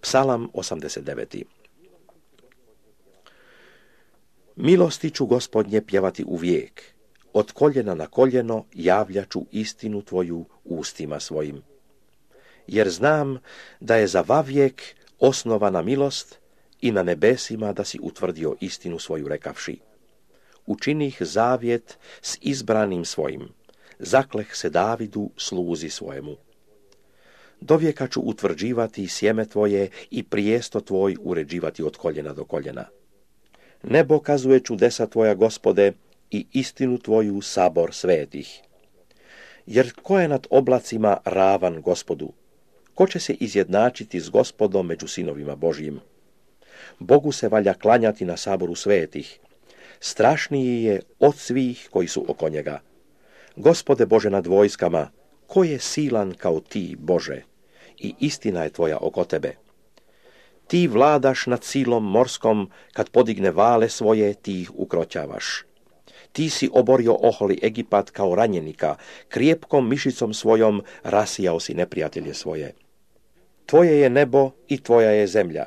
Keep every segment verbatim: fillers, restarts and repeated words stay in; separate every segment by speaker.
Speaker 1: Psalam osamdeset devet. Milosti ću, Gospodnje, pjevati uvijek. Od koljena na koljeno javljaću istinu tvoju ustima svojim. Jer znam da je za vavijek osnovana milost i na nebesima da si utvrdio istinu svoju rekavši. Učinih zavjet s izbranim svojim, zakleh se Davidu sluzi svojemu. Dovijeka ću utvrđivati sjeme tvoje i prijesto tvoj uređivati od koljena do koljena. Nebo kazuje čudesa tvoja, Gospode, i istinu tvoju sabor svetih. Jer ko je nad oblacima ravan Gospodu? Ko će se izjednačiti s Gospodom među sinovima Božjim? Bogu se valja klanjati na saboru svetih. Strašniji je od svih koji su oko njega. Gospode Bože nad vojskama, ko je silan kao ti, Bože? I istina je tvoja oko tebe. Ti vladaš nad silom morskom, kad podigne vale svoje, ti ih ukroćavaš. Ti si oborio oholi Egipat kao ranjenika, krijepkom mišicom svojom rasijao si neprijatelje svoje. Tvoje je nebo i tvoja je zemlja.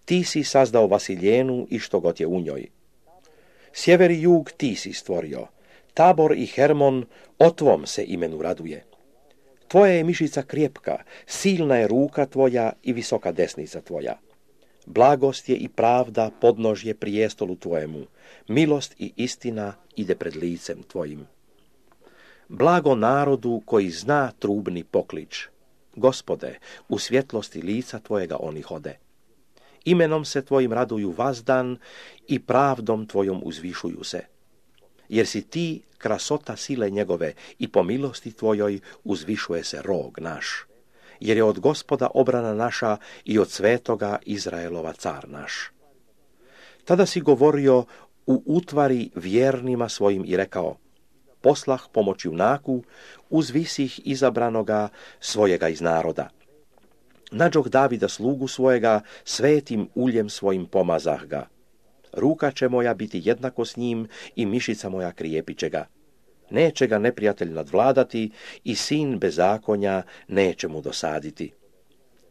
Speaker 1: Ti si sazdao Vasiljenu i što god je u njoj. Sjever i jug ti si stvorio. Tabor i Hermon o tvom se imenu raduje. Tvoja je mišica krijepka, silna je ruka tvoja i visoka desnica tvoja. Blagost je i pravda podnožje prijestolu tvojemu, milost i istina ide pred licem tvojim. Blago narodu koji zna trubni poklič. Gospode, u svjetlosti lica tvojega oni hode. Imenom se tvojim raduju vazdan i pravdom tvojom uzvišuju se. Jer si ti krasota sile njegove i po milosti tvojoj uzvišuje se rog naš. Jer je od Gospoda obrana naša i od svetoga Izraelova car naš. Tada si govorio u utvari vjernima svojim i rekao: poslah pomoć junaku, uzvisih izabranoga svojega iz naroda. Nađoh Davida slugu svojega, svetim uljem svojim pomazah ga. Ruka će moja biti jednako s njim i mišica moja krijepit će ga. Neće ga neprijatelj nadvladati i sin bezakonja neće mu dosaditi.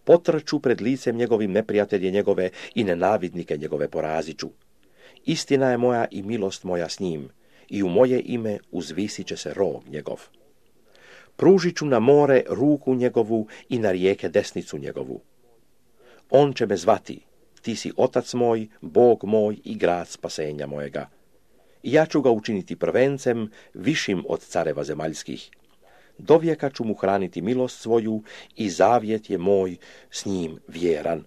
Speaker 1: Potrču pred licem njegovim neprijatelje njegove i nenavidnike njegove poraziću. Istina je moja i milost moja s njim i u moje ime uzvisit će se rog njegov. Pružit ću na more ruku njegovu i na rijeke desnicu njegovu. On će me zvati: ti si otac moj, Bog moj i grad spasenja mojega. I ja ću ga učiniti prvencem, višim od careva zemaljskih. Dovijeka ću mu hraniti milost svoju i zavjet je moj s njim vjeran.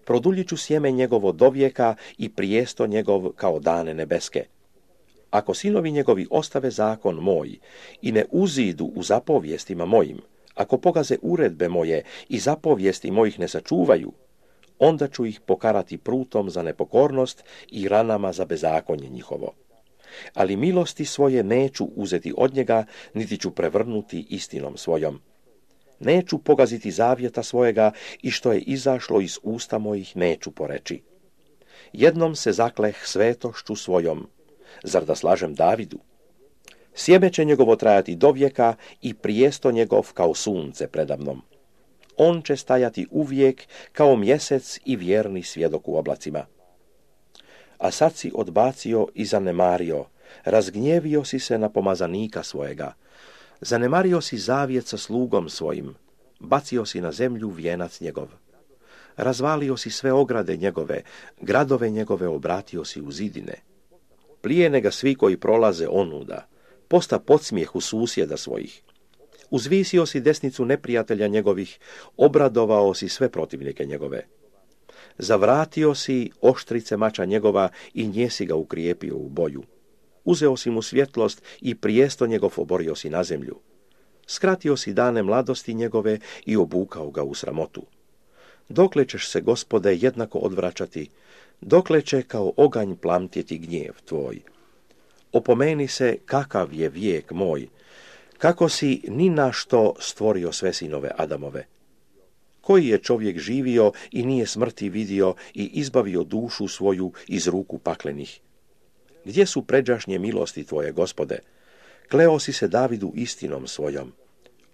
Speaker 1: Produljit ću sjeme njegovo dovijeka i prijesto njegov kao dane nebeske. Ako sinovi njegovi ostave zakon moj i ne uzidu u zapovjestima mojim, ako pogaze uredbe moje i zapovijesti mojih ne sačuvaju, onda ću ih pokarati prutom za nepokornost i ranama za bezakonje njihovo. Ali milosti svoje neću uzeti od njega, niti ću prevrnuti istinom svojom. Neću pogaziti zavjeta svojega i što je izašlo iz usta mojih neću poreći. Jednom se zakleh svetošću svojom, zar da slažem Davidu? Sjeme će njegovo trajati do vijeka i prijesto njegov kao sunce predamnom. On će stajati uvijek kao mjesec i vjerni svjedok u oblacima. A sad si odbacio i zanemario, razgnjevio si se na pomazanika svojega, zanemario si zavjet sa slugom svojim, bacio si na zemlju vijenac njegov. Razvalio si sve ograde njegove, gradove njegove obratio si u zidine. Plijene ga svi koji prolaze onuda, posta podsmijeh u susjeda svojih. Uzvisio si desnicu neprijatelja njegovih, obradovao si sve protivnike njegove. Zavratio si oštrice mača njegova i nje si ga ukrijepio u boju. Uzeo si mu svjetlost i prijesto njegov oborio si na zemlju. Skratio si dane mladosti njegove i obukao ga u sramotu. Dokle ćeš se, Gospode, jednako odvraćati, dokle će kao oganj plamtjeti gnjev tvoj. Opomeni se kakav je vijek moj, kako si ni na što stvorio sve sinove Adamove. Koji je čovjek živio i nije smrti vidio i izbavio dušu svoju iz ruku paklenih? Gdje su pređašnje milosti tvoje, Gospode? Kleo si se Davidu istinom svojom.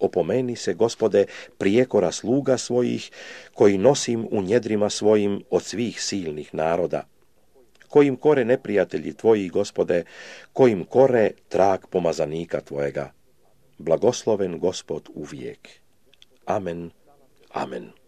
Speaker 1: Opomeni se, Gospode, prijekora sluga svojih, koji nosim u njedrima svojim od svih silnih naroda. Kojim kore neprijatelji tvoji, Gospode, kojim kore trag pomazanika tvojega. Blagosloven Gospod uvijek. Amen, amen.